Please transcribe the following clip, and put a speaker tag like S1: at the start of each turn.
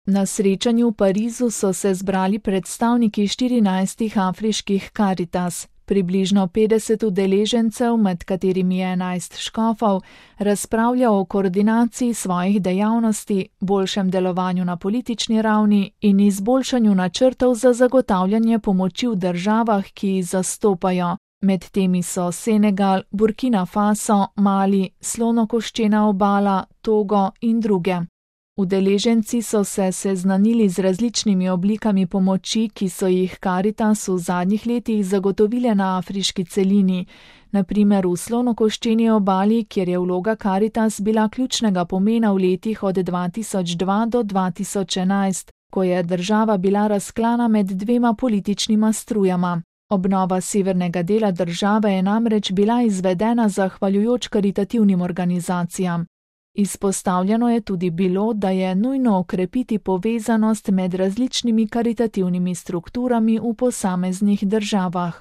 S1: Na srečanju v Parizu so se zbrali predstavniki 14 afriških Karitas. Približno 50 udeležencev, med katerimi je 11 škofov, razpravlja o koordinaciji svojih dejavnosti, boljšem delovanju na politični ravni in izboljšanju načrtov za zagotavljanje pomoči v državah, ki jih zastopajo. Med temi so Senegal, Burkina Faso, Mali, Slonokoščena obala, Togo in druge. Udeleženci so se seznanili z različnimi oblikami pomoči, ki so jih Karitas v zadnjih letih zagotovile na afriški celini, na primer v Slonokoščeni obali, kjer je vloga Karitas bila ključnega pomena v letih od 2002 do 2011, ko je država bila razklana med dvema političnima strujama. Obnova severnega dela države je namreč bila izvedena zahvaljujoč karitativnim organizacijam. Izpostavljeno je tudi bilo, da je nujno okrepiti povezanost med različnimi karitativnimi strukturami v posameznih državah.